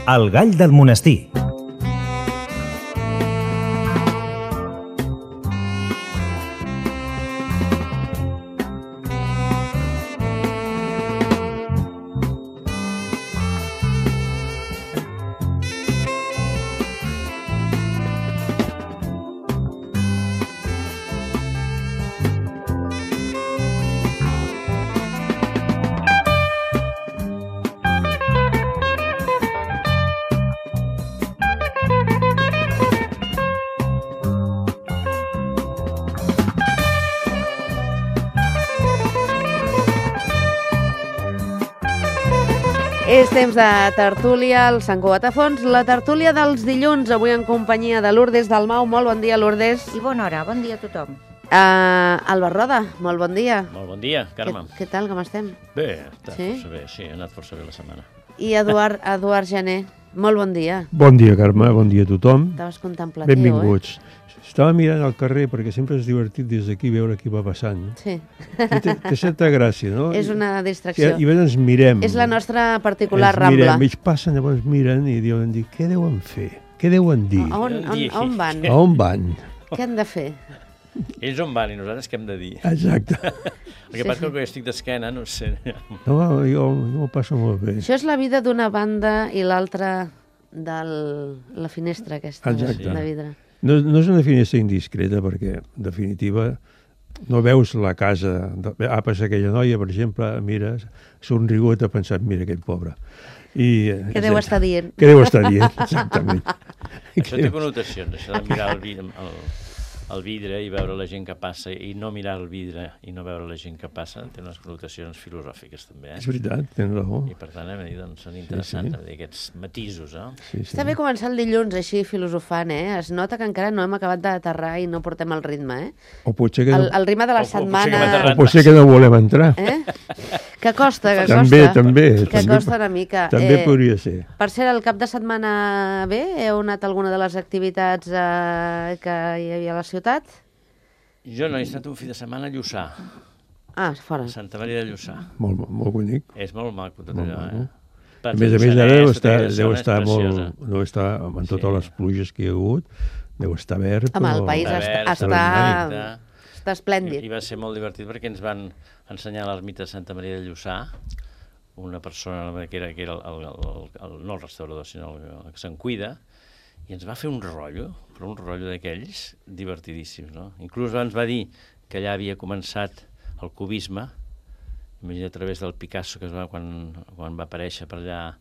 El gall del monestir. És temps de tertúlia al Sant Cugat a Fons, la tertúlia dels dilluns, avui en companyia de Lourdes Dalmau. Molt bon dia, Lourdes. I bona hora, bon dia a tothom. Albert Roda, molt bon dia. Molt bon dia, Carme. Què tal, com estem? Bé, està Sí? força bé, sí, ha anat força bé la setmana. I Eduard Gené, molt bon dia. Bon dia, Carme, bon dia a tothom. Estaves contemplatiu, Benvinguts. Estava mirant al carrer perquè sempre és divertit des d'aquí veure qui va passant. Sí. I té certa gràcia, no? És una distracció. I ens mirem. És la nostra particular ens Rambla. mirem, ells passen, llavors miren i diuen, què deuen fer? Què deuen dir? On van? A on van? Què han de fer? Ells on van i nosaltres què hem de dir? Exacte. El que passa que jo estic d'esquena, no sé. No, jo m'ho passo molt bé. Això és la vida d'una banda i l'altra de la finestra aquesta Exacte. de vidre. No és una finestra indiscreta perquè, en definitiva, no veus la casa. Passa aquella noia, per exemple, mira, somrigut, ha pensat, mira aquest pobre. Què deu estar dient? Què deu estar dient, exactament. Això té connotacions, això de mirar el vidre i veure la gent que passa i no mirar el vidre i no veure la gent que passa té unes connotacions filosòfiques també, És veritat, tens raó. I per tant, doncs, són interessants aquests matisos, Sí. Està bé començar el dilluns així filosofant, Es nota que encara no hem acabat d'aterrar i no portem el ritme, O potser que no, El ritme de la setmana... o potser que no volem entrar. Que costa, que També, costa. també. Que costa una mica. També podria ser. Per cert, el cap de setmana bé? Heu anat a alguna de les activitats que hi havia a la ciutat? Jo no he estat un fi de setmana a Lluçà, Fora. a Santa Maria de Lluçà. Molt bonic. És molt maco tot Molt allò, maco. Per A més, Lluçanès, deu tota aquella zona és estar preciosa. molt... No està, amb totes Sí. les pluges que hi ha hagut, deu estar verd. Home, el país està esplèndid. I va ser molt divertit perquè ens van ensenyar l'ermita de Santa Maria de Lluçà, una persona que era no el restaurador, sinó el que se'n cuida, i ens va fer un rotllo, però un rotllo d'aquells divertidíssims, no? Inclús ens va dir que allà havia començat el cubisme, imagina a través del Picasso, que quan va aparèixer per allà,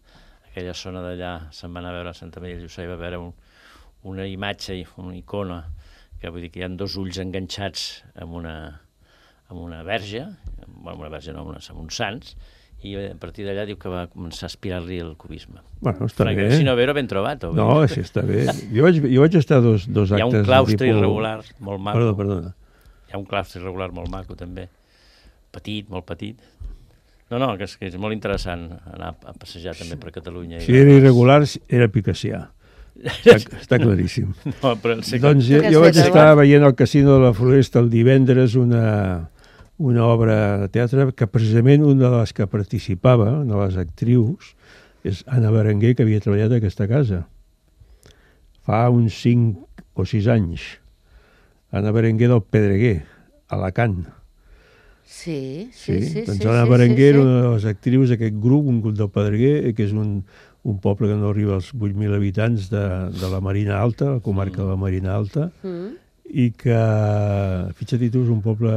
aquella zona d'allà, se'n va anar a veure a Santa Maria de Lluçà i va veure una imatge, una icona, que vull dir que hi ha dos ulls enganxats amb una verge, amb uns sants, i a partir d'allà diu que va començar a aspirar-li el cubisme. Bueno, està bé. Si no, ben trobat. No, així està bé. Jo vaig estar dos actes... Hi ha un claustre irregular molt maco. Perdona. Hi ha un claustre irregular molt maco, també. Petit, molt petit. No, que és molt interessant anar a passejar també per Catalunya. Si era irregular, era picassià. Està claríssim. No, però doncs jo vaig estar veient al Casino de la Floresta el divendres una obra de teatre que precisament una de les que participava, una de les actrius, és Anna Berenguer, que havia treballat a aquesta casa. Fa uns 5 o 6 anys. Anna Berenguer del Pedreguer, a Alacant. Sí. Doncs Anna Berenguer era una de les actrius d'aquest grup, un grup del Pedreguer, que és un poble que no arriba als 8.000 habitants de la Marina Alta, la comarca de la Marina Alta, i que, fixa't tu, és un poble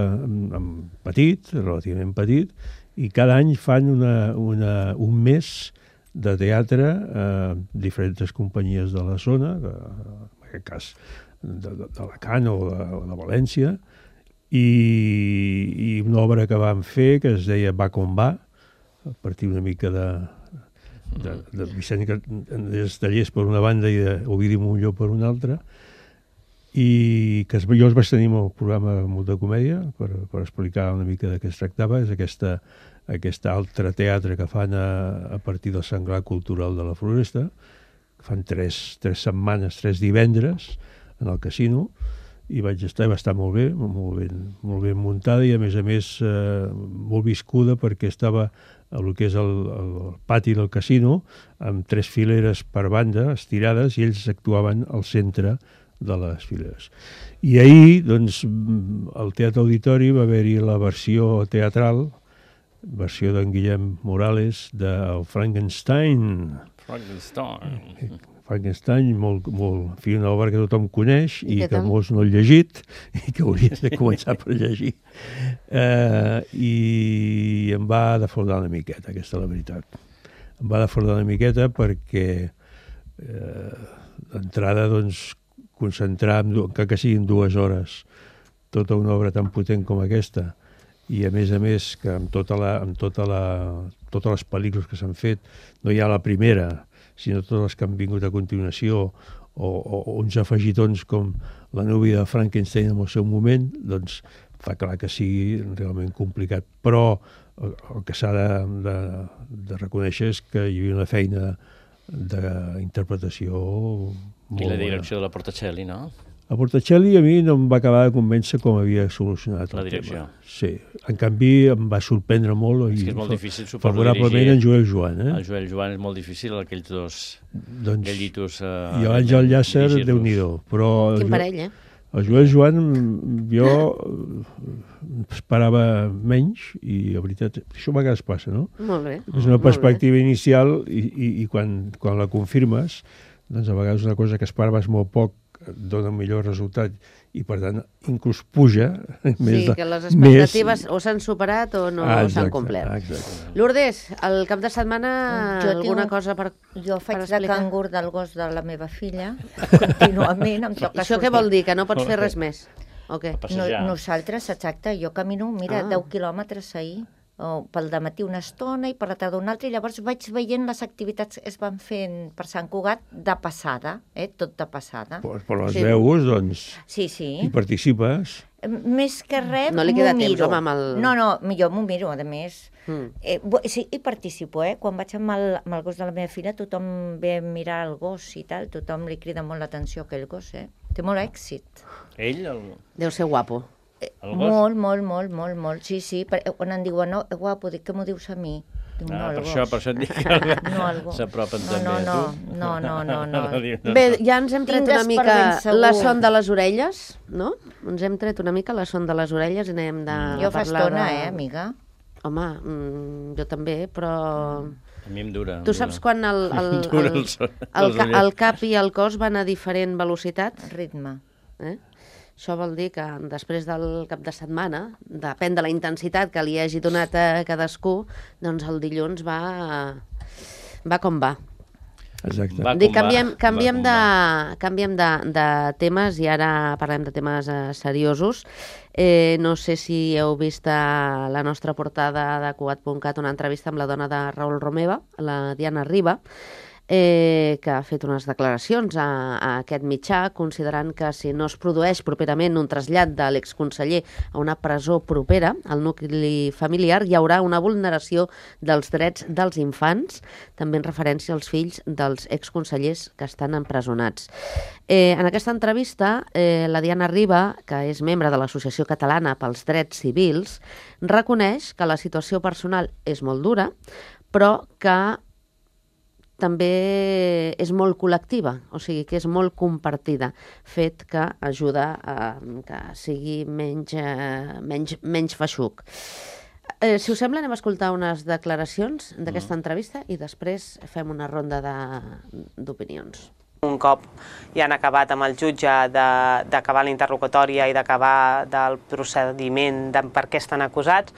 petit, relativament petit, i cada any fan un mes de teatre a diferents companyies de la zona, en aquest cas d'Alacant o de València, i una obra que van fer que es deia Va com va, a partir una mica de Vicent Estellers per una banda i d'Ovidi Montllor per una altra, i que jo els vaig tenir en el programa Molta Comèdia per explicar una mica de què es tractava. És aquest altre teatre que fan a partir del Senglar Cultural de la Floresta, que fan 3 setmanes, 3 divendres en el casino, i va estar molt bé muntada i a més molt viscuda perquè estava el que és el pati del casino, amb 3 fileres per banda, estirades, i ells actuaven al centre de les fileres. I ahir, doncs, al Teatre Auditori va haver-hi la versió teatral, versió d'en Guillem Morales, del Frankenstein, molt, en fi, una obra que tothom coneix i que molts no han llegit i que haurien de començar per llegir. I em va defraudar una miqueta, aquesta és la veritat. Em va defraudar una miqueta perquè d'entrada, doncs, concentrar, que siguin 2 hores, tota una obra tan potent com aquesta, i a més que amb totes les pel·lícules que s'han fet, no hi ha la primera, sinó totes les que han vingut a continuació, o uns afegitons com La núvia de Frankenstein en el seu moment, doncs fa clar que sigui realment complicat. Però el que s'ha de reconèixer és que hi havia una feina d'interpretació molt bona. I la direcció de la Portacelli, no? A Portacelli a mi no em va acabar de convèncer com havia solucionat el direcció. tema. Sí, en canvi em va sorprendre molt. És que és molt difícil, suposo, favorablement en Joel Joan. El Joel Joan és molt difícil, aquells 2 gallitos. I l'Àngel Llàcer, Déu-n'hi-do. Quin parell, eh? El Joel Joan, jo esperava menys i, la veritat, això a vegades passa, no? Molt bé. És una perspectiva inicial i quan la confirmes, doncs a vegades una cosa que esperaves molt poc dona un millor resultat i, per tant, inclús puja. Sí, que les expectatives o s'han superat o no s'han complert. Exacte. Lourdes, el cap de setmana alguna cosa per explicar? Jo faig de cangur del gos de la meva filla, contínuament em toca sortir. Això què vol dir? Que no pots fer res més? O què? Nosaltres, exacte, jo camino, 10 quilòmetres ahir, pel dematí una estona i per la tarda una altra, i llavors vaig veient les activitats que es van fent per Sant Cugat de passada, tot de passada. Però les veus, doncs, i participes. Més que res, no li queda temps, home, amb el... No, jo m'ho miro, a més. Sí, i participo, Quan vaig amb el gos de la meva filla, tothom ve a mirar el gos i tal, tothom li crida molt l'atenció a aquell gos, Té molt èxit. Ell? Deu ser guapo. Molt. Sí. Quan em diuen, no, guapo, dic, què m'ho dius a mi? Dic, no, el gos. Per això et dic que s'apropen també a tu. No. Bé, ja ens hem tret una mica la son de les orelles, no? Ens hem tret una mica la son de les orelles i anem de... Jo fa estona, amiga? Home, jo també, però... A mi em dura. Tu saps quan el cap i el cos van a diferent velocitat? Ritme. Això vol dir que després del cap de setmana, depèn de la intensitat que li hagi donat a cadascú, doncs el dilluns va com va. Exacte. Canviem de temes i ara parlem de temes seriosos. No sé si heu vist a la nostra portada de Cugat.cat una entrevista amb la dona de Raül Romeva, la Diana Riba, que ha fet unes declaracions a aquest mitjà, considerant que si no es produeix properament un trasllat de l'exconseller a una presó propera al nucli familiar, hi haurà una vulneració dels drets dels infants, també en referència als fills dels exconsellers que estan empresonats. En aquesta entrevista, la Diana Riba, que és membre de l'Associació Catalana pels Drets Civils, reconeix que la situació personal és molt dura, però que també és molt col·lectiva, o sigui que és molt compartida, fet que ajuda a que sigui menys feixuc. Si us sembla, anem a escoltar unes declaracions d'aquesta entrevista i després fem una ronda d'opinions. Un cop ja han acabat amb el jutge d'acabar la interlocutòria i d'acabar del procediment de per què estan acusats,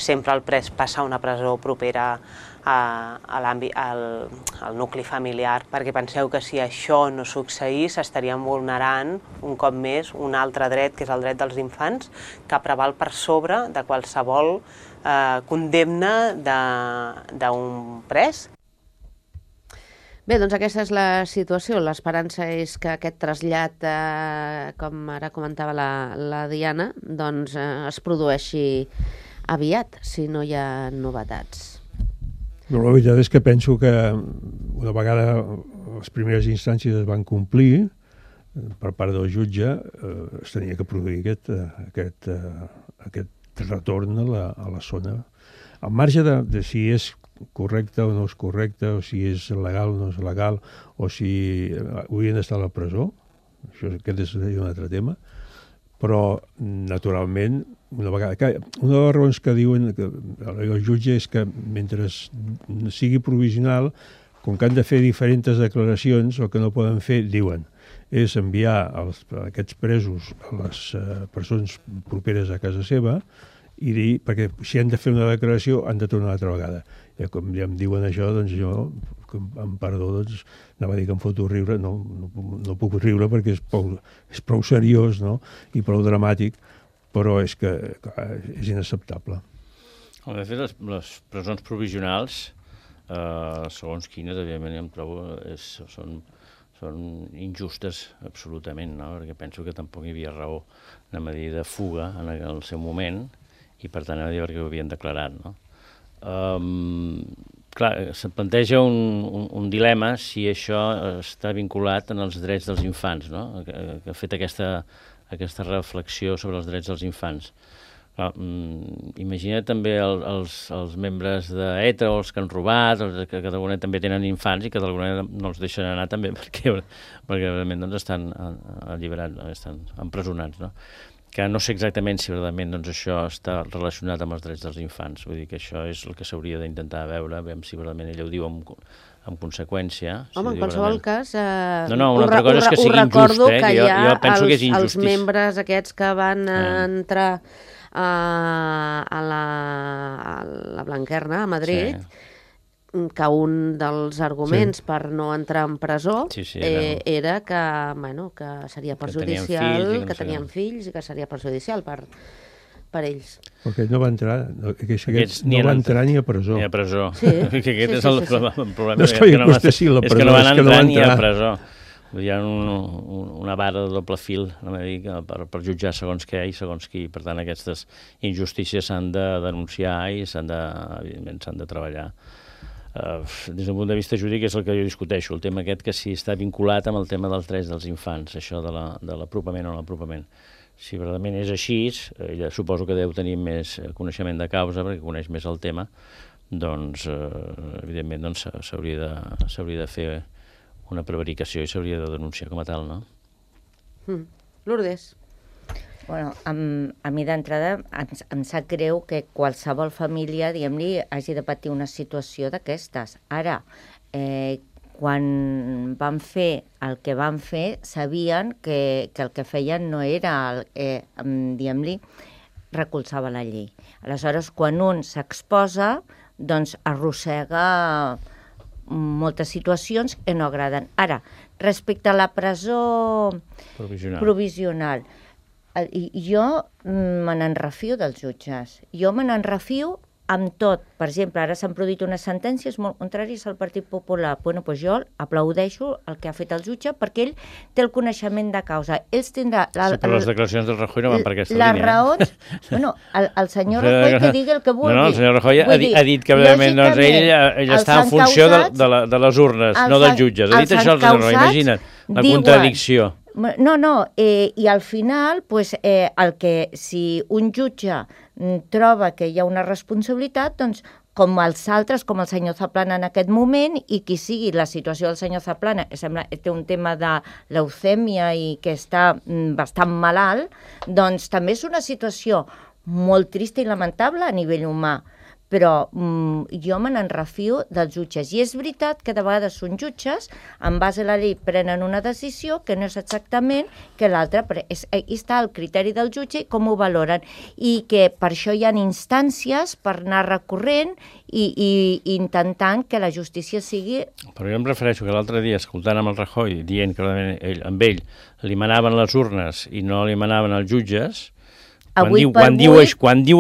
sempre el pres passa a una presó propera al nucli familiar, perquè penseu que si això no succeís estarien vulnerant un cop més un altre dret, que és el dret dels infants, que preval per sobre de qualsevol condemna d'un pres. Bé, doncs aquesta és la situació. L'esperança és que aquest trasllat, com ara comentava la Diana, doncs es produeixi aviat, si no hi ha novetats. No, la veritat és que penso que una vegada les primeres instàncies es van complir per part del jutge, es tenia que produir aquest retorn a la zona. al marge de si és correcte o no és correcte, o si és legal o no és legal, o si haurien d'estar a la presó, aquest és un altre tema, però, naturalment, una de les raons que diuen el jutge és que mentre sigui provisional, com que han de fer diferents declaracions, el que no poden fer, diuen, és enviar aquests presos a les persones properes a casa seva i dir, perquè si han de fer una declaració han de tornar una altra vegada. I com ja em diuen això, doncs jo, amb perdó, doncs, anava a dir que em foto riure, no puc riure perquè és prou seriós, no?, i prou dramàtic, però és que clar, és inacceptable. De fet, les presons provisionals, segons quines, evidentment, em trobo, són injustes absolutament, no?, perquè penso que tampoc hi havia raó, anem a dir, de fuga en el seu moment, i per tant, anem a dir perquè ho havien declarat, no? Clar, se'n planteja un dilema si això està vinculat en els drets dels infants, no?, que ha fet aquesta reflexió sobre els drets dels infants. Clar, imagina també els membres d'ETA o els que han robat, que d'alguna manera també tenen infants i que d'alguna manera no els deixen anar també perquè realment doncs, estan alliberats, estan empresonats, no? Que no sé exactament si verdaderament doncs, això està relacionat amb els drets dels infants. Vull dir que això és el que s'hauria d'intentar veure, veure si verdaderament ella ho diu en conseqüència. Home, en qualsevol cas, una altra cosa és que sigui injust, que jo penso que és injustícia. Els membres aquests que van entrar a la Blanquerna, a Madrid, que un dels arguments per no entrar en presó era que seria perjudicial, que tenien fills i que seria perjudicial per ells. Perquè no va entrar, no va entrar ni a presó. Ni a presó. Sí. Aquest és el problema. No és que li costessi la presó, és que no van entrar ni a presó. Hi ha una vara de doble fil per jutjar segons què i segons qui. Per tant, aquestes injustícies s'han de denunciar i evidentment s'han de treballar. Des del punt de vista jurídic és el que jo discuteixo, el tema aquest que si està vinculat amb el tema dels drets dels infants, això de l'apropament o no l'apropament. Si verdaderament és així, ella suposo que deu tenir més coneixement de causa perquè coneix més el tema, doncs evidentment s'hauria de fer una prevaricació i s'hauria de denunciar com a tal, no? Lourdes. Bueno, a mi d'entrada em sap greu que qualsevol família, diguem-li, hagi de patir una situació d'aquestes. Ara, quan van fer el que van fer, sabien que el que feien no era, diguem-li, recolzava la llei. Aleshores, quan un s'exposa, doncs arrossega moltes situacions que no agraden. Ara, respecte a la presó provisional, jo me n'enrefio dels jutges. Jo me n'enrefio amb tot. Per exemple, ara s'han produït unes sentències molt contràries al Partit Popular. Bueno, doncs jo aplaudeixo el que ha fet el jutge perquè ell té el coneixement de causa. Ells tindrà... però les declaracions del Rajoy no van per aquesta línia. Les raons... Bueno, el senyor Rajoy que digui el que vulgui. No, el senyor Rajoy ha dit que realment ell està en funció de les urnes, no dels jutges. Ha dit això el senyor Rajoy, imagina't, la contradicció. No, i al final, si un jutge troba que hi ha una responsabilitat, doncs com els altres, com el senyor Zaplana en aquest moment, i qui sigui la situació del senyor Zaplana, que sembla que té un tema de leucèmia i que està bastant malalt, doncs també és una situació molt trista i lamentable a nivell humà. Però jo me n'enrefio dels jutges. I és veritat que de vegades són jutges, en base a la llei prenen una decisió que no és exactament que l'altra. Aquí està el criteri del jutge i com ho valoren. I que per això hi ha instàncies per anar recorrent i intentant que la justícia sigui... Però jo em refereixo que l'altre dia, escoltant amb el Rajoy, dient que amb ell li manaven les urnes i no li manaven els jutges... Quan diu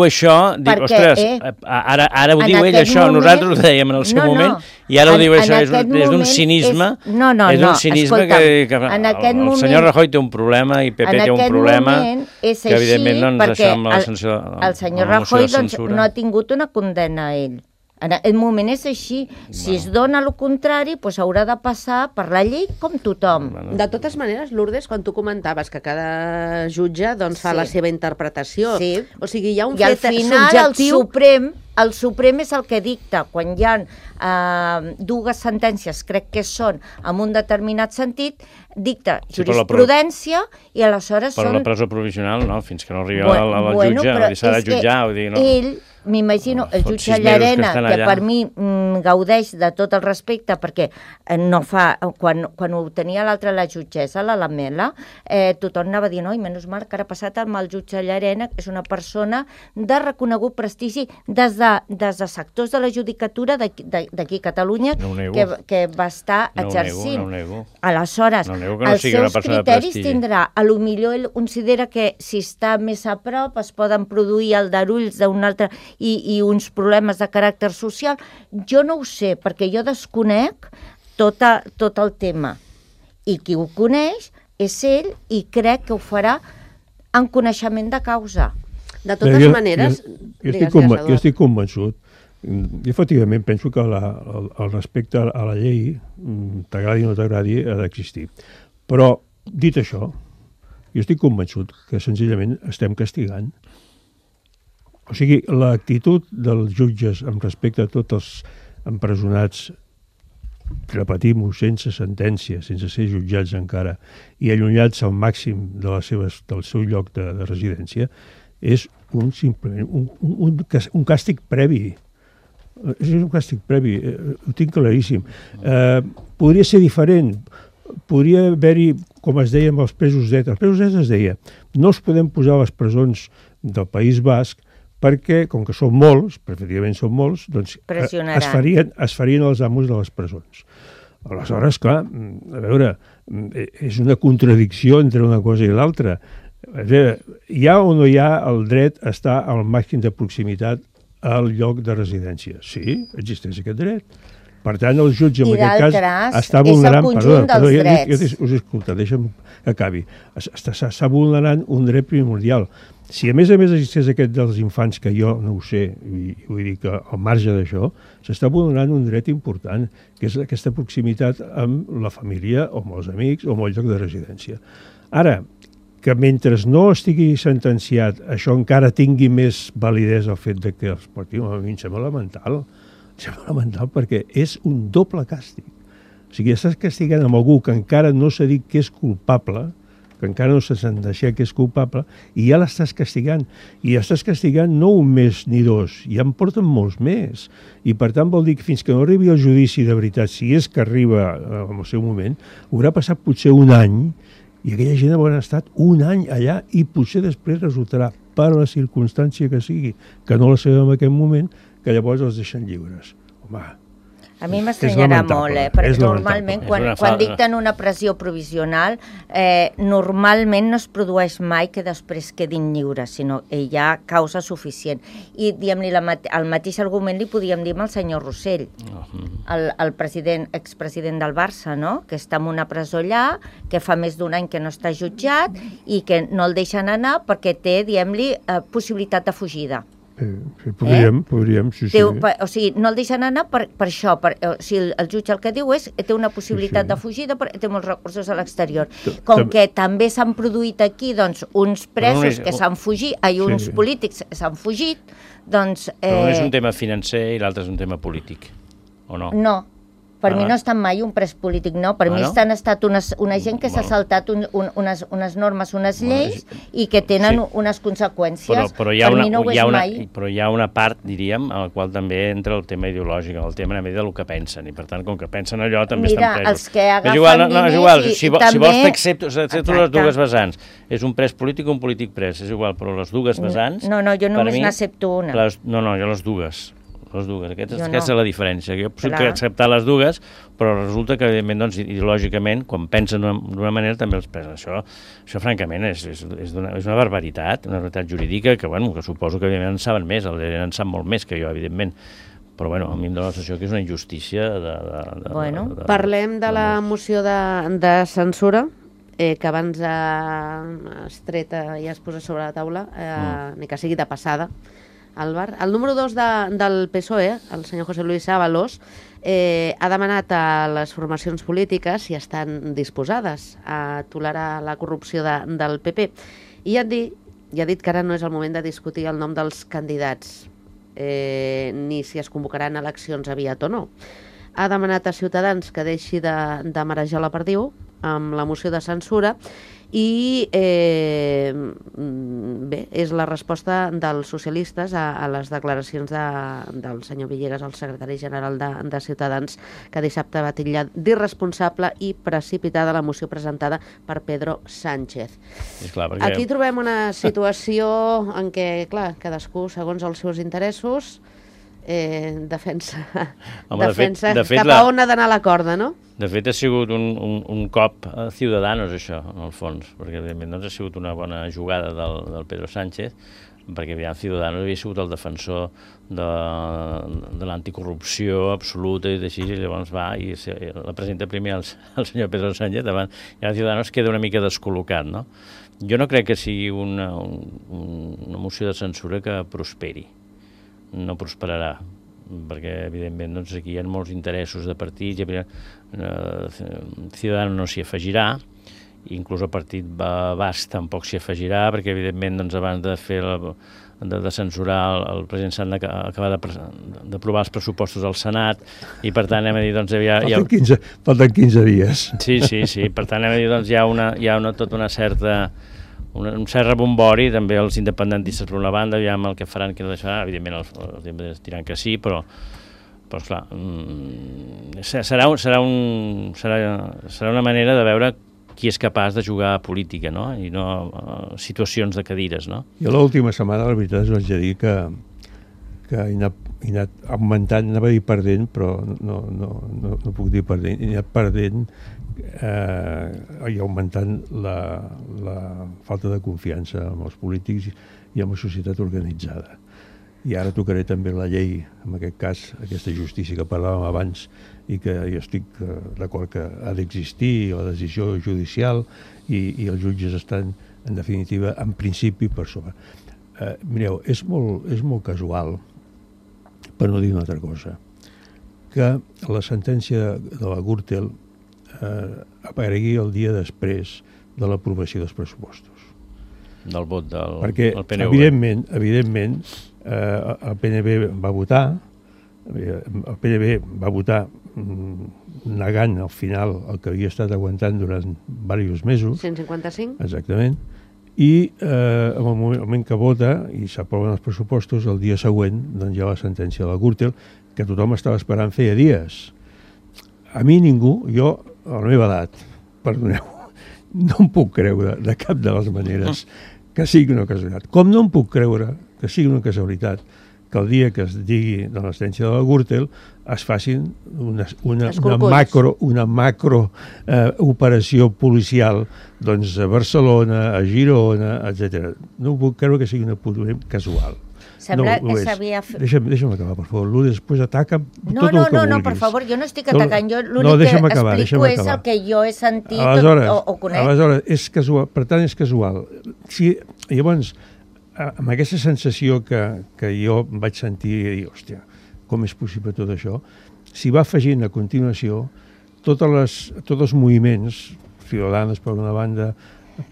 això, dic, ostres, ara ho diu ell això, nosaltres ho dèiem en el seu moment, i ara ho diu això, és d'un cinisme, és d'un cinisme que el senyor Rajoy té un problema i PP té un problema, que evidentment no ens deixa amb la sanció de censura. El senyor Rajoy no ha tingut una condemna a ell. En aquest moment és així. Si es dona el contrari, doncs haurà de passar per la llei com tothom. De totes maneres, Lourdes, quan tu comentaves que cada jutge fa la seva interpretació, o sigui, hi ha un fet subjectiu... I al final el Suprem el Suprem és el que dicta quan hi ha dues sentències, crec que són en un determinat sentit, dicta jurisprudència i aleshores són... Però la presó provisional, no, fins que no arribi al jutge, s'ha de jutjar, vull dir, no. Ell, m'imagino, el jutge Llarena, que per mi gaudeix de tot el respecte, perquè no fa... Quan ho tenia l'altra, la jutgessa, la Lamela, tothom anava dient, oi, menys mal que ara ha passat amb el jutge Llarena, que és una persona de reconegut prestigi des de sectors de la judicatura d'aquí a Catalunya, que va estar exercint. No ho nego. Aleshores, els seus criteris tindrà, a lo millor ell considera que si està més a prop es poden produir aldarulls d'un altre i uns problemes de caràcter social. Jo no ho sé, perquè jo desconec tot el tema. I qui ho coneix és ell i crec que ho farà en coneixement de causa. De totes maneres... Jo estic convençut. I efectivament penso que el respecte a la llei, t'agradi o no t'agradi, ha d'existir. Però, dit això, jo estic convençut que senzillament estem castigant. O sigui, l'actitud dels jutges amb respecte a tots els empresonats, repetim-ho, sense sentència, sense ser jutjats encara, i allunyats al màxim del seu lloc de residència, és simplement un càstig previ. És un càstig previ, ho tinc claríssim. Podria ser diferent, podria haver-hi, com es deia amb els presos d'ETA. Els presos d'ETA es deia, no els podem posar a les presons del País Basc perquè, com que són molts, pràcticament són molts, doncs es farien els amos de les presons. Aleshores, clar, a veure, és una contradicció entre una cosa i l'altra. Hi ha o no hi ha el dret a estar al màxim de proximitat al lloc de residència? Sí, existeix aquest dret. Per tant, el jutge en aquest cas està vulnerant... I d'altres, és el conjunt dels drets. Us escolta, deixa'm que acabi. Està vulnerant un dret primordial. Si a més existeix aquest dels infants, que jo no ho sé, i vull dir que al marge d'això, s'està vulnerant un dret important, que és aquesta proximitat amb la família, o amb els amics, o amb el lloc de residència. Ara, que mentre no estigui sentenciat, això encara tingui més validesa el fet de que els portin, a mi em sembla lamentable. Sembla lamentable perquè és un doble càstig. O sigui, estàs castigant amb algú que encara no s'ha dit que és culpable, que encara no s'ha deixat que és culpable, i ja l'estàs castigant. I estàs castigant no un mes ni dos, ja en porten molts més. I per tant vol dir que fins que no arribi el judici de veritat, si és que arriba en el seu moment, haurà passat potser un any, i aquella gent haurà estat un any allà, i potser després resultarà, per la circumstància que sigui, que no la sabem en aquest moment, que llavors els deixen lliures. Home, a mi m'estranyarà molt, perquè normalment quan dicten una pressió provisional, normalment no es produeix mai que després quedin lliures, sinó que hi ha causa suficient. I diguem-li el mateix argument li podíem dir al senyor Rossell, el expresident del Barça, no? Que està en una presó allà, que fa més d'un any que no està jutjat i que no el deixen anar perquè té, diguem-li, possibilitat de fugida. Podríem, sí. O sigui, no el deixen anar per això. O sigui, el jutge el que diu és que té una possibilitat de fugida perquè té molts recursos a l'exterior. Com que també s'han produït aquí doncs, uns presos que s'han fugit, uns polítics que s'han fugit, doncs... Però un és un tema financer i l'altre és un tema polític, o no? No. Per mi no ha estat mai un pres polític, no. Per mi ha estat una gent que s'ha saltat unes normes, unes lleis i que tenen unes conseqüències. Però hi ha una part, diríem, en la qual també entra el tema ideològic, el tema del que pensen, i per tant, com que pensen allò, també estan presos. Mira, els que agafen diners i també... Si vols t'accepto les dues vessants. És un pres polític o un polític pres, és igual, però les dues vessants... No, jo només n'accepto una. No, jo les dues. Aquesta és la diferència. Jo puc acceptar les dues, però resulta que, evidentment, doncs, ideològicament, quan pensen d'una manera, també els presen. Això francament, és una barbaritat, jurídica, que suposo que, evidentment, en saben més, en sap molt més que jo, evidentment. Però, a mi em dóna la sensació que és una injustícia. Parlem de la moció de censura, que abans es treta i es posa sobre la taula, ni que sigui de passada. Álvar. El número 2 del PSOE, el senyor José Luis Ábalos, ha demanat a les formacions polítiques si estan disposades a tolerar la corrupció del PP. I ha dit que ara no és el moment de discutir el nom dels candidats. ni si es convocaran eleccions aviat o no. Ha demanat a Ciutadans que deixi de marejar la perdiu amb la moció de censura i bé, és la resposta dels socialistes a les declaracions del senyor Villegas, el secretari general de Ciutadans, que dissabte va titllar d'irresponsable i precipitada la moció presentada per Pedro Sánchez. Clar, perquè... Aquí trobem una situació en què, clar, cadascú, segons els seus interessos, defensa cap a on ha d'anar la corda, no? De fet, ha sigut un cop a Ciudadanos, això, en el fons, perquè, evidentment, doncs, ha sigut una bona jugada del Pedro Sánchez, perquè, aviam, Ciudadanos havia sigut el defensor de l'anticorrupció absoluta i així, i llavors va i la presenta primer el senyor Pedro Sánchez, davant, i ara Ciudadanos queda una mica descol·locat, no? Jo no crec que sigui una moció de censura que prosperi. No prosperarà, perquè, evidentment, doncs, aquí hi ha molts interessos de partits, Ciudadanos no s'hi afegirà, inclús el partit Basc tampoc s'hi afegirà, perquè, evidentment, doncs, abans de fer de censurar el president Sant acabar d'aprovar els pressupostos al Senat, i per tant, anem a dir, doncs, falten 15 dies. Sí, per tant, anem a dir, doncs, hi ha tota una certa... un cert rebombori, també els independentistes per una banda, aviam el que faran, que no deixaran, evidentment els independentistes diran que sí, però esclar, serà una manera de veure qui és capaç de jugar a política, no? I no a situacions de cadires, no? Jo l'última setmana, la veritat, us vaig dir que he anat augmentant, anava a dir perdent, però no puc dir perdent, he anat perdent i augmentant la falta de confiança amb els polítics i amb la societat organitzada. I ara tocaré també la llei, en aquest cas, aquesta justícia que parlàvem abans i que jo estic d'acord que ha d'existir, la decisió judicial i els jutges estan, en definitiva, en principi per sobre. Mireu, és molt casual, per no dir una altra cosa, que la sentència de la Gürtel aparegui el dia després de l'aprovació dels pressupostos. Del vot del PNV. Perquè, evidentment, el PNV va votar negant al final el que havia estat aguantant durant diversos mesos. 155? Exactament. I en el moment que vota i s'aproven els pressupostos, el dia següent doncs hi ha la sentència de la Gürtel, que tothom estava esperant feia dies. A mi ningú, jo, a la meva edat, perdoneu, no em puc creure de cap de les maneres que sigui una casualitat. Com no em puc creure que sigui una casualitat que el dia que es digui de la sentència de la Gürtel es facin una macro operació policial doncs, a Barcelona, a Girona, etc. No puc creure que sigui una pura casual. Sembla que s'havia... Deixa'm acabar, per favor. Lourdes, després ataca tot el que vulguis. No, per favor, jo no estic atacant. Jo l'únic que explico és el que jo he sentit o conec. Aleshores, és casual, per tant, és casual. Llavors, amb aquesta sensació que jo vaig sentir i dir, hòstia, com és possible tot això, s'hi va afegint a continuació tots els moviments, Ciudadanos per una banda,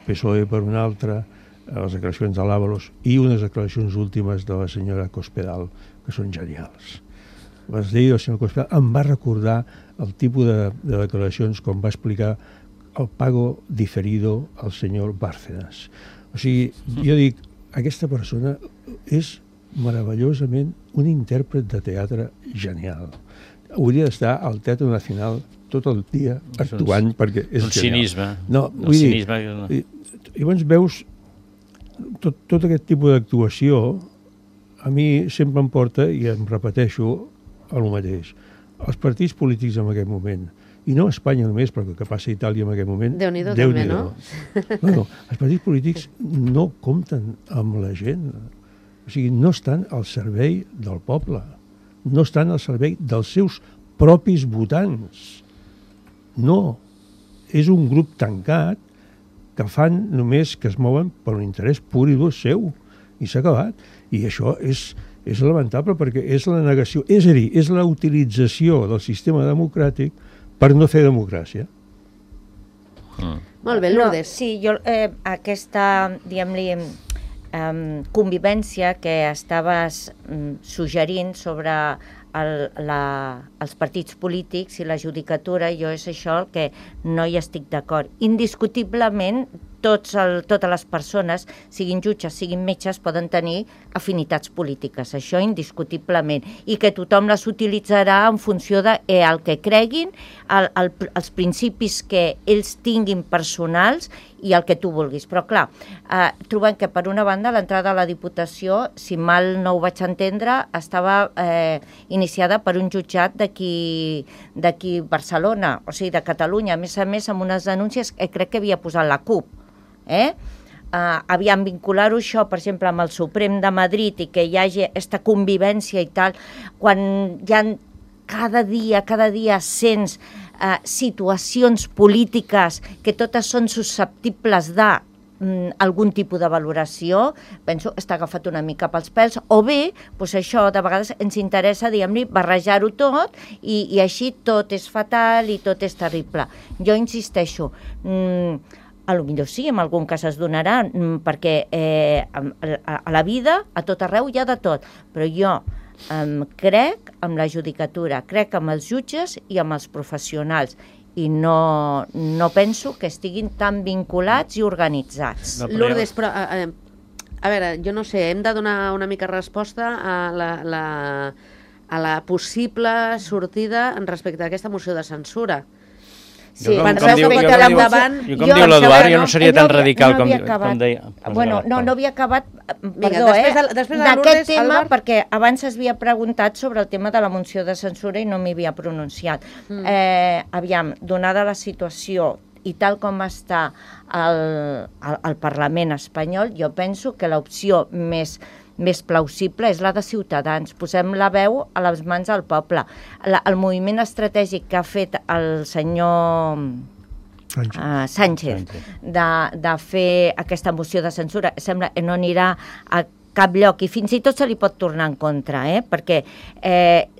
PSOE per una altra, les declaracions de l'Ábalos i unes declaracions últimes de la senyora Cospedal, que són genials. Les lleis del senyor Cospedal em va recordar el tipus de declaracions com va explicar el pago diferido al senyor Bárcenas. O sigui, jo dic, aquesta persona és meravellosament un intèrpret de teatre genial. Hauria d'estar al Teatre Nacional tot el dia actuant perquè és genial. Cinisme. No, vull dir, llavors veus tot aquest tipus d'actuació a mi sempre em porta, i em repeteixo, el mateix. Els partits polítics en aquest moment, i no a Espanya només, però que passa a Itàlia en aquest moment... Déu-n'hi-do també, no? No, els partits polítics no compten amb la gent. O sigui, no estan al servei del poble. No estan al servei dels seus propis votants. No. És un grup tancat que fan només que es mouen per un interès pur i dur seu. I s'ha acabat. I això és lamentable perquè és la negació, és a dir, és la utilització del sistema democràtic per no fer democràcia. Molt bé, Lourdes. Sí, jo aquesta, diguem-li, convivència que estaves suggerint sobre els partits polítics i la judicatura, jo és això el que no hi estic d'acord. Indiscutiblement, totes les persones, siguin jutges, siguin metges, poden tenir afinitats polítiques, això indiscutiblement, i que tothom les utilitzarà en funció del que creguin, els principis que ells tinguin personals i el que tu vulguis. Però clar, trobem que per una banda l'entrada a la Diputació, si mal no ho vaig entendre, estava iniciada per un jutjat d'aquí Barcelona, o sigui, de Catalunya, a més amb unes denúncies que crec que havia posat la CUP. Aviam, vincular-ho això, per exemple, amb el Suprem de Madrid i que hi hagi aquesta convivència i tal, quan hi ha cada dia sents situacions polítiques que totes són susceptibles d'algun tipus de valoració, penso està agafat una mica pels pèls, o bé, doncs això, de vegades ens interessa, diguem-ne, barrejar-ho tot i així tot és fatal i tot és terrible. Jo insisteixo, a lo millor sí, en algun cas es donarà, perquè a la vida, a tot arreu, hi ha de tot. Però jo crec en la judicatura, crec en els jutges i en els professionals, i no penso que estiguin tan vinculats i organitzats. Lourdes, però, a veure, jo no sé, hem de donar una mica resposta a la possible sortida respecte a aquesta moció de censura. Sí, com diu l'Eduard, jo no seria tan radical com deia. Bueno, no havia acabat, perdó, d'aquest tema, perquè abans es havia preguntat sobre el tema de la moció de censura i no m'hi havia pronunciat. Aviam, donada la situació i tal com està el Parlament espanyol, jo penso que l'opció més plausible és la de Ciutadans. Posem la veu a les mans del poble. El moviment estratègic que ha fet el senyor Sánchez de fer aquesta moció de censura sembla que no anirà a cap lloc i fins i tot se li pot tornar en contra, perquè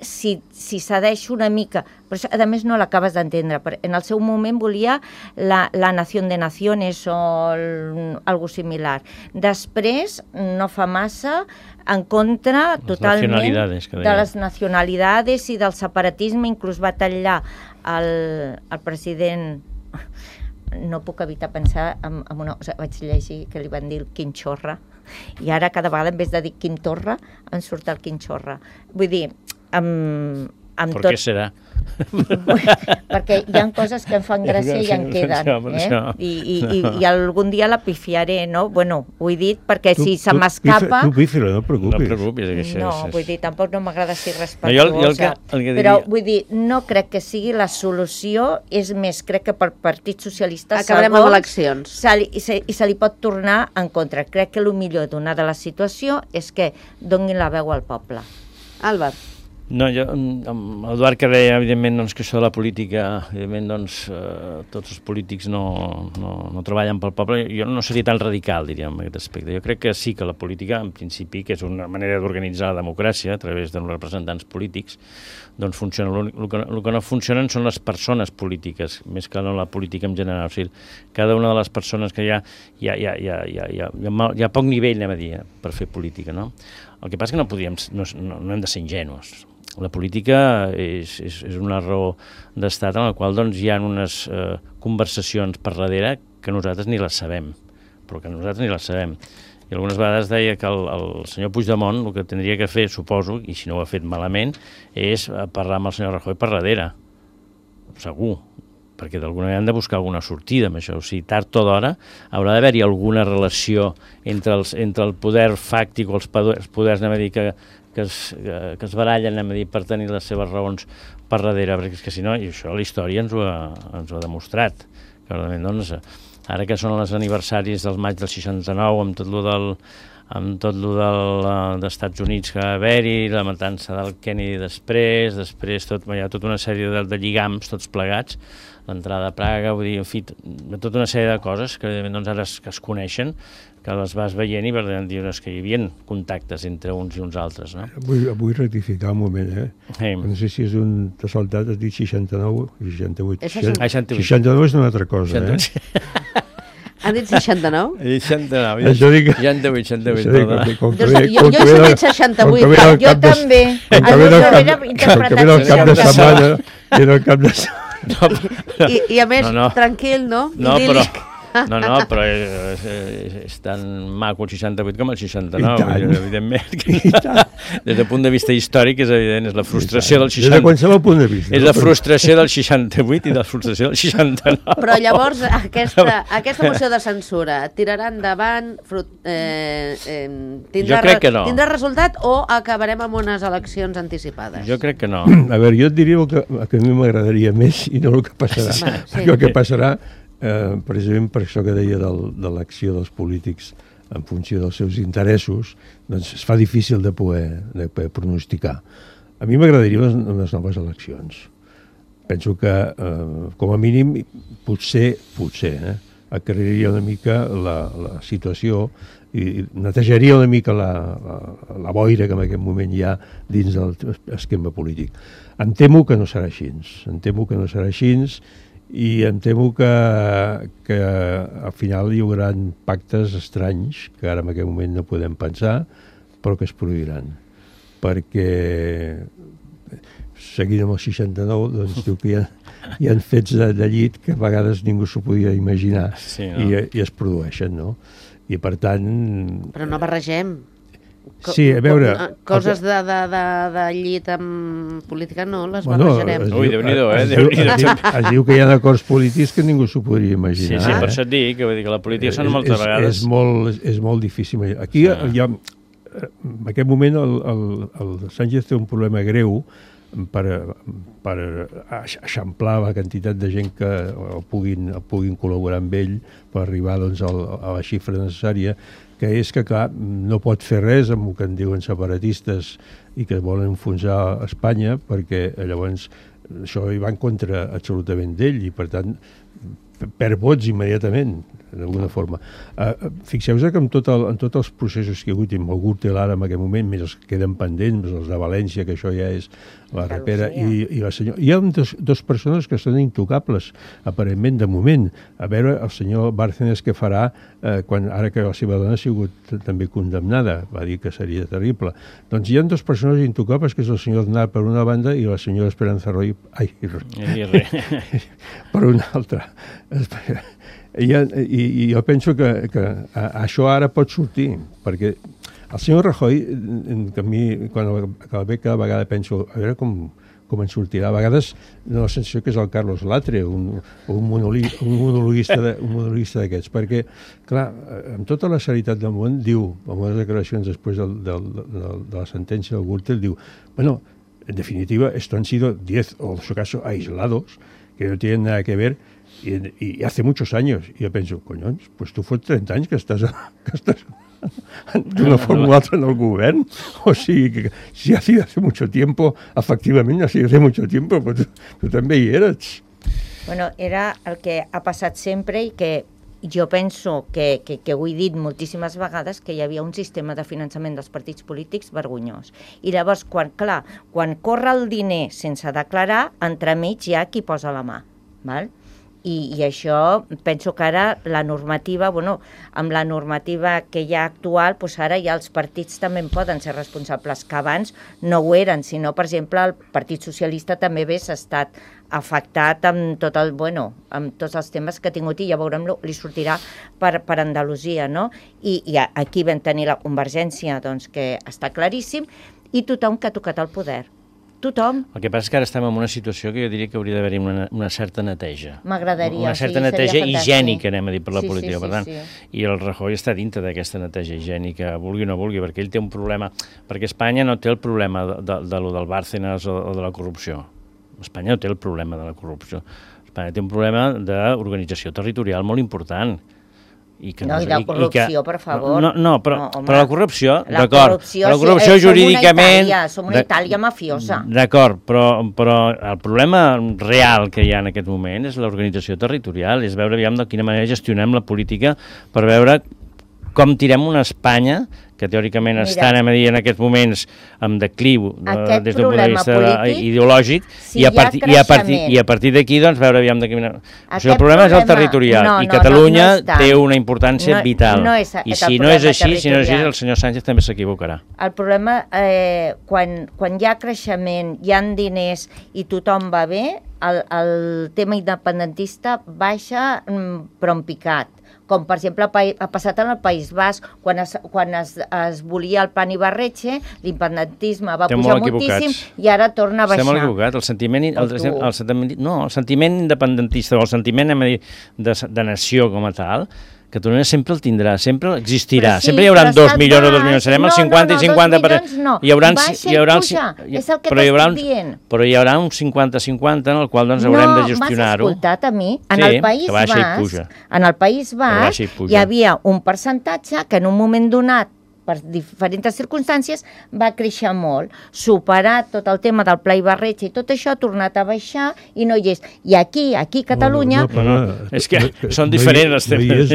si cedeix una mica, però a més no l'acabes d'entendre, en el seu moment volia la Nación de Naciones o algo similar. Després no fa massa en contra totalment de les nacionalidades i del separatisme, inclús va tallar el president. No puc evitar pensar en una cosa, vaig llegir que li van dir el Quinxorra, i ara cada vegada en vez de dir Quim Torra em surt el Quinxorra. Vull dir, per què serà? Perquè hi ha coses que em fan gràcia i en queden, i algun dia la pifiaré, no? Bueno, ho he dit perquè si se m'escapa... Tu pífila, no et preocupis. No, vull dir, tampoc no m'agrada ser respectuosa, però vull dir, no crec que sigui la solució, és més, crec que per Partit Socialista acabarem amb eleccions i se li pot tornar en contra. Crec que el millor donada la situació és que donin la veu al poble. Álvar. No, jo, amb l'Eduard que deia, evidentment, que això de la política, evidentment, tots els polítics no treballen pel poble. Jo no seria tan radical, diríem, en aquest aspecte. Jo crec que sí que la política, en principi, que és una manera d'organitzar la democràcia a través dels representants polítics, doncs funciona. El que no funcionen són les persones polítiques, més que no la política en general. O sigui, cada una de les persones que hi ha poc nivell, anem a dir, per fer política, no? El que passa és que no hem de ser ingenus. La política és una raó d'estat en la qual doncs, hi ha unes conversacions per darrere que nosaltres ni les sabem, però que nosaltres ni les sabem. I algunes vegades deia que el senyor Puigdemont el que tindria que fer, suposo, i si no ho ha fet malament, és parlar amb el senyor Rajoy per darrere, segur, perquè d'alguna manera han de buscar alguna sortida amb això. O sigui, tard o d'hora haurà d'haver-hi alguna relació entre el poder fàctic o els poders, anem a dir, que es barallen, anem a dir, per tenir les seves raons per darrere, perquè és que si no, i això la història ens ho ha demostrat. Clarament, doncs, ara que són els aniversaris del maig del 69, amb tot lo d'Estats Units que va haver-hi, la matança del Kennedy després hi ha tota una sèrie de lligams, tots plegats, l'entrada a Praga, vull dir, en fi, tota una sèrie de coses que doncs, ara es coneixen, que les vas veient i per tant dius que hi havia contactes entre uns i uns altres, no? Vull rectificar un moment, No sé si és un de soldat, has dit 69 i 68. 69 és una altra cosa, Han dit 69? 69. Això dic... 68, Jo he sentit 68. Jo també. Com que ve del cap de setmana, i del cap de setmana... I a més, tranquil, no? No, però és tan maco el 68 com el 69, evidentment. Des del punt de vista històric és evident, és la frustració del 68. Des de qualsevol punt de vista. És la frustració del 68 i la frustració del 69. Però llavors aquesta moció de censura tirarà endavant, jo crec que no. Tindrà resultat o acabarem amb unes eleccions anticipades? Jo crec que no. A veure, jo et diria que a mi m'agradaria més i no el que passarà. Perquè el que passarà, precisament per això que deia de l'acció dels polítics en funció dels seus interessos, doncs es fa difícil de poder pronosticar. A mi m'agradaria unes noves eleccions. Penso que, com a mínim, potser aclariria una mica la situació i netejaria una mica la boira que en aquest moment hi ha dins del esquema polític. Em temo que no serà així, i em temo que al final hi haurà pactes estranys que ara en aquest moment no podem pensar, però que es produiran. Perquè, seguint amb el 69, doncs diu que hi ha fets de llit que a vegades ningú s'ho podia imaginar, sí, no? I es produeixen, no? I per tant... Però no barregem. Sí, a veure... Coses de llit en política no les barrejarem. Ui, Déu-n'hi-do, Déu-n'hi-do. Es diu que hi ha acords polítics que ningú s'ho podria imaginar. Sí, per això et dic, que la política són moltes vegades... És molt difícil. Aquí hi ha... En aquest moment el Sánchez té un problema greu per eixamplar la quantitat de gent que puguin col·laborar amb ell per arribar doncs, a la xifra necessària, que és que, clar, no pot fer res amb el que en diuen separatistes i que volen enfonsar Espanya, perquè llavors això hi va en contra absolutament d'ell i, per tant, perd vots immediatament, d'alguna forma. Fixeu-vos que en tots els processos que hi ha hagut, i amb el Gürtel ara en aquest moment, més els que queden pendents, més els de València, que això ja és la repera, i la senyora... Hi ha dos persones que són intocables, aparentment, de moment. A veure, el senyor Bárcenas què farà ara que la seva dona ha sigut també condemnada, va dir que seria terrible. Doncs hi ha dos persones intocables, que és el senyor Aznar per una banda i la senyora Esperanza Roy per una altra. I jo penso que això ara pot sortir, perquè el senyor Rajoy, que a mi, quan el veig cada vegada penso, a veure com en sortirà. A vegades no la sensació que és el Carlos Latre, un monologuista d'aquests, perquè, clar, amb tota la serietat del món, diu, amb les declaracions després de la sentència del Gürtel, diu, bueno, en definitiva, esto han sido 10 o en su caso aislados, que no tienen nada que ver, y hace muchos años. Y yo pienso, coñons, pues tú fue 30 anys que estàs d'una forma o altra en el govern. O sigui, que si ha sido hace mucho tiempo, efectivament ha sido hace mucho tiempo, pues tu també hi eres. Bueno, era el que ha passat sempre i que jo penso que ho he dit moltíssimes vegades, que hi havia un sistema de finançament dels partits polítics vergonyós. I llavors, quan corre el diner sense declarar, entremig hi ha qui posa la mà, val? I això, penso que ara la normativa, amb la normativa que hi ha actual, doncs ara ja els partits també en poden ser responsables, que abans no ho eren, sinó, per exemple, el Partit Socialista també hagués estat afectat amb amb tots els temes que ha tingut, i ja veurem, li sortirà per Andalusia, no? I aquí vam tenir la Convergència, doncs, que està claríssim, i tothom que ha tocat el poder. Tothom. El que passa és que ara estem en una situació que jo diria que hauria d'haver-hi una certa neteja. M'agradaria. Una certa neteja higiènica, anem a dir, per la política. Per tant, i el Rajoy està dintre d'aquesta neteja higiènica, vulgui o no vulgui, perquè ell té un problema, perquè Espanya no té el problema del Bárcenas o de la corrupció. Espanya no té el problema de la corrupció. Espanya té un problema d'organització territorial molt important. I de corrupció, per favor. Però la corrupció, d'acord, la corrupció jurídicament... Som una Itàlia mafiosa. D'acord, però el problema real que hi ha en aquest moment és l'organització territorial, és veure de quina manera gestionem la política per veure com tirem una Espanya que teòricament està en aquests moments amb decliu des d'un punt de vista ideològic, i a partir d'aquí doncs veure aviam de quina... O sigui, el problema és el territorial, i Catalunya té una importància vital. I si no és així, el senyor Sánchez també s'equivocarà. El problema, quan hi ha creixement, hi ha diners i tothom va bé, el tema independentista baixa però en picat. Com, per exemple, ha passat en el País Basc, quan es volia el plan Ibarretxe, l'independentisme va pujar moltíssim i ara torna a baixar. Estem molt equivocats. El sentiment independentista o el sentiment de nació com a tal, Catalunya sempre el tindrà, sempre existirà. Sempre hi haurà 2 milions o 2 milions. Serem el 50 i 50... Baixa i puja, és el que t'estic dient. Però hi haurà un 50-50 en el qual haurem de gestionar-ho. No, m'has escoltat a mi. En el País Basc hi havia un percentatge que en un moment donat, per diferents circumstàncies, va créixer molt. Superat tot el tema del Pla Ibarretxe i tot això ha tornat a baixar i no hi és. I aquí a Catalunya... És que són diferents els temes.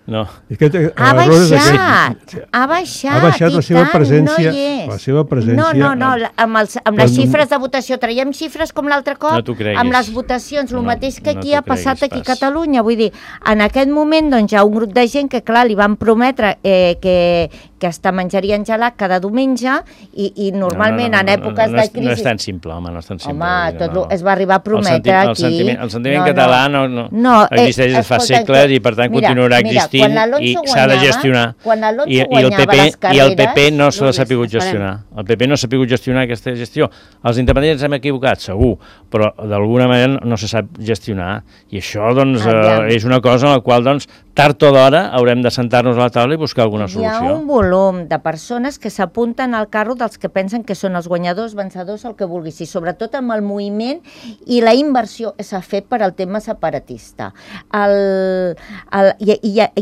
No. Ha baixat, ha baixat la seva presència. La seva presència... No, amb les xifres de votació, traiem xifres com l'altre cop, amb les votacions, el mateix que aquí ha passat aquí a Catalunya. Vull dir, en aquest moment hi ha un grup de gent que, clar, li van prometre que hasta menjarien gelat cada diumenge i normalment en èpoques de crisi... No és tan simple, home, no és tan simple. Home, tot es va arribar a prometre aquí... El sentiment català no existeix des de fa segles i per tant continuarà existint i s'ha de gestionar. Quan l'Alonso guanyava les carreres... I el PP no s'ha sabut gestionar. El PP no s'ha sabut gestionar aquesta gestió. Els independents hem equivocat, segur, però d'alguna manera no se sap gestionar. I això, doncs, és una cosa en la qual, doncs, tard o d'hora haurem de sentar-nos a la taula i buscar alguna solució. Hi ha un volum de persones que s'apunten al carro dels que pensen que són els guanyadors, vencedors, el que vulguis, i sobretot amb el moviment i la inversió s'ha fet per al tema separatista. Hi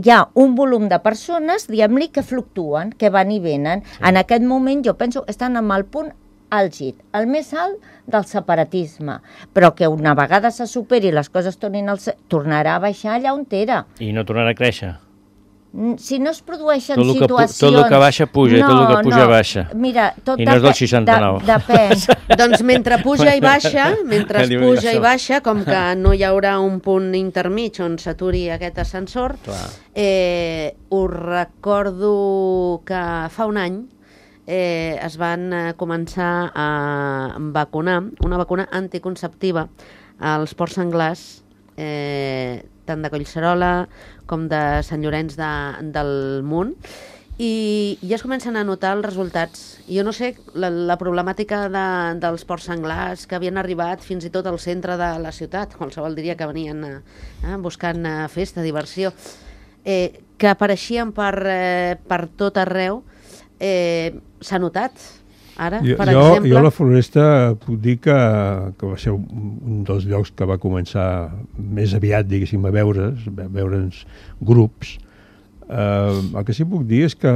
ha un volum de persones, diguem-li, que fluctuen, que van i venen. Sí. En aquest moment, jo penso, estan amb el punt àlgid, el més alt del separatisme, però que una vegada se superi i les coses tornarà a baixar allà on era. I no tornarà a créixer? Si no es produeixen situacions... Tot el que baixa puja i tot el que puja baixa. Mira, i no és del 69. Depèn. Doncs mentre puja i baixa, com que no hi haurà un punt intermig on s'aturi aquest ascensor, us recordo que fa un any es van començar a vacunar una vacuna anticonceptiva als porcs senglars, tant de Collserola com de Sant Llorenç del Munt, i ja es comencen a notar els resultats. Jo no sé, la problemàtica dels porcs senglars que havien arribat fins i tot al centre de la ciutat, qualsevol diria que venien buscant festa, diversió, que apareixien per tot arreu. S'ha notat ara, per exemple... Jo a la Floresta puc dir que va ser un dels llocs que va començar més aviat, diguéssim, a veure'ns grups. El que sí puc dir és que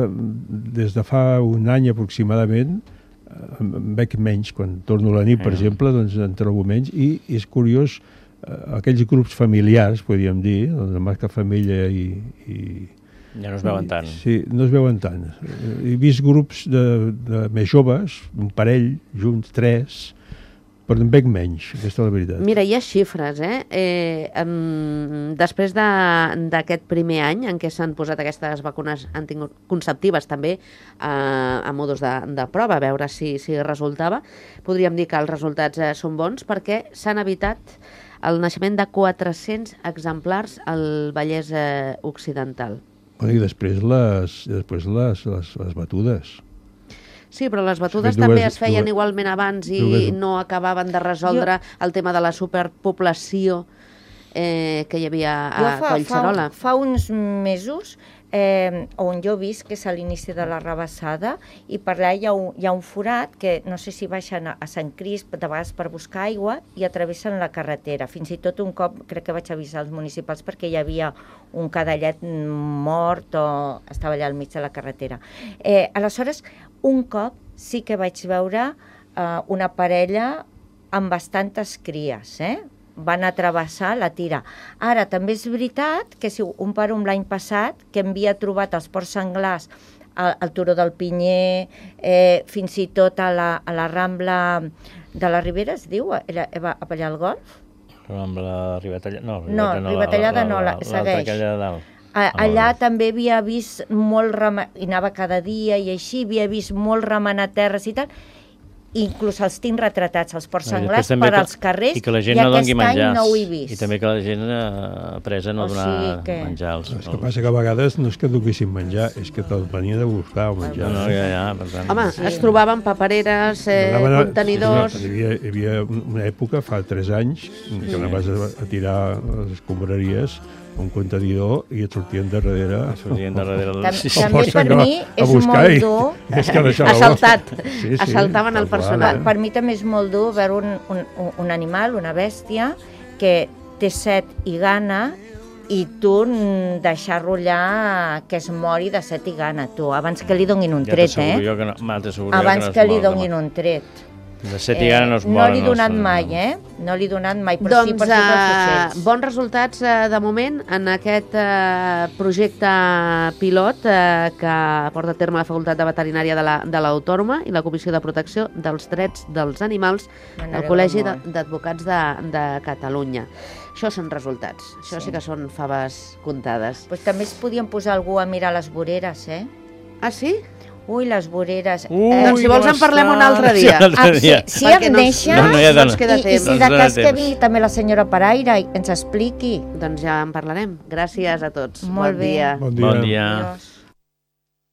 des de fa un any aproximadament em veig menys. Quan torno a la nit, per exemple, doncs en trobo menys, i és curiós, aquells grups familiars, podríem dir, doncs amb que família i ja no es veuen tant. Sí, no es veuen tant. He vist grups de més joves, un parell, junts, 3, però en veig menys, aquesta és la veritat. Mira, hi ha xifres, després d'aquest primer any en què s'han posat aquestes vacunes anticonceptives també a modus de prova, a veure si resultava, podríem dir que els resultats són bons perquè s'han evitat el naixement de 400 exemplars al Vallès Occidental. I després les batudes. Sí, però les batudes també es feien igualment abans i no acabaven de resoldre el tema de la superpoblació que hi havia a Collserola. Fa uns mesos, on jo he vist que és a l'inici de la Rabassada, i per allà hi ha un forat que no sé si baixen a Sant Crisp de vegades per buscar aigua i atravessen la carretera. Fins i tot un cop crec que vaig avisar els municipals perquè hi havia un cadellet mort o estava allà al mig de la carretera. Aleshores, un cop sí que vaig veure una parella amb bastantes cries, van a travessar la tira. Ara, també és veritat que si un per un l'any passat, que havia trobat els porcs senglars al Turó del Pinyer, fins i tot a la Rambla de la Ribera, es diu, allà al golf? Rambla Ribatallada, no. Ribatallada no, segueix. Allà també havia vist molt remenat, i anava cada dia i així, havia vist molt remenat terres i tal, inclús els tinc retratats, els porcs senglars, per als carrers, i aquest any no ho he vist. I també que la gent apresa no donar menjar. El que passa que a vegades no és que duguessin menjar, és que te'l venien a buscar el menjar. Per tant. Home, es trobaven papereres, contenidors... Hi havia una època, fa 3 anys, que anaves a tirar les escombraries un contenidor i et sortien darrere... També per mi és molt dur... Assaltat. Assaltaven el personal. Per mi també és molt dur veure un animal, una bèstia, que té set i gana i tu deixar-lo allà que es mori de set i gana, tu, abans que li donin un tret, Abans que li donin un tret. De set i gana no es moren. No l'he donat mai, No l'he donat mai, però sí per si pels ocells. Bons resultats de moment en aquest projecte pilot que porta a terme la Facultat de Veterinària de l'Autònoma i la Comissió de Protecció dels Drets dels Animals del Col·legi d'Advocats de Catalunya. Això són resultats, això sí que són faves comptades. També es podien posar algú a mirar les voreres, Ah, sí? Ui, les voreres... Doncs si vols en parlem un altre dia. Si em deixa, no ens queda temps. I de cas que vingui també la senyora Paraire i ens expliqui. Doncs ja en parlarem. Gràcies a tots. Molt bé. Bon dia. Bon dia.